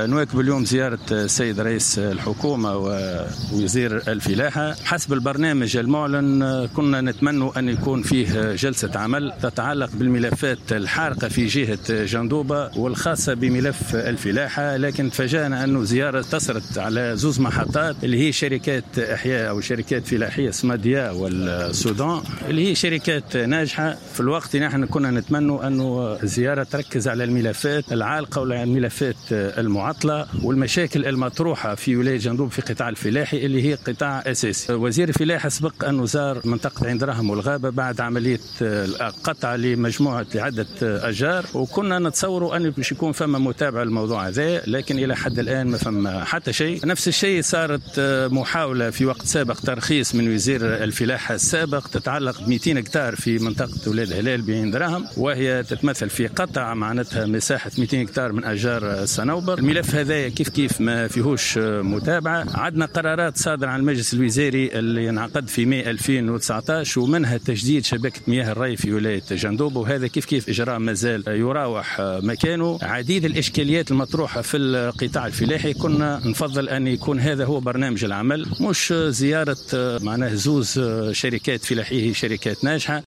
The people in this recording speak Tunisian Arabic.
نواكب اليوم زيارة السيد رئيس الحكومة ووزير الفلاحة. حسب البرنامج المعلن كنا نتمنى أن يكون فيه جلسة عمل تتعلق بالملفات الحارقة في جهة جندوبة والخاصة بملف الفلاحة، لكن تفاجأنا أن زيارة اقتصرت على زوز محطات اللي هي شركات إحياء أو شركات فلاحية سماديا والسودان اللي هي شركات ناجحة. في الوقت نحن كنا نتمنى أن الزيارة تركز على الملفات العالقة والملفات المعطلة والمشاكل المطروحة في ولاية جندوب في قطاع الفلاحي اللي هي قطاع أساسي. وزير الفلاحة سبق أنه زار منطقة عين دراهم والغابة بعد عملية قطع لمجموعة لعدة أشجار، وكنا نتصوروا أن باش يكون فما متابعة للموضوع هذا، لكن إلى حد الآن ما فما حتى شيء. نفس الشيء صارت محاولة في وقت سابق ترخيص من وزير الفلاحة السابق تتعلق ب 200 هكتار في منطقة ولاد هلال بعين دراهم، وهي تتمثل في قطع معناتها مساحة 200 هكتار من أشجار الصنوبر. الملف هذا كيف كيف ما فيهوش متابعة. عندنا قرارات صادرة عن المجلس الوزاري اللي انعقد في ماي 2019 ومنها تجديد شبكة مياه الري في ولاية جندوب، وهذا كيف كيف إجراء مازال يراوح مكانه. عديد الإشكاليات المطروحة في القطاع الفلاحي كنا نفضل أن يكون هذا هو برنامج العمل، مش زيارة معناه زوز شركات فلاحية شركات ناجحة.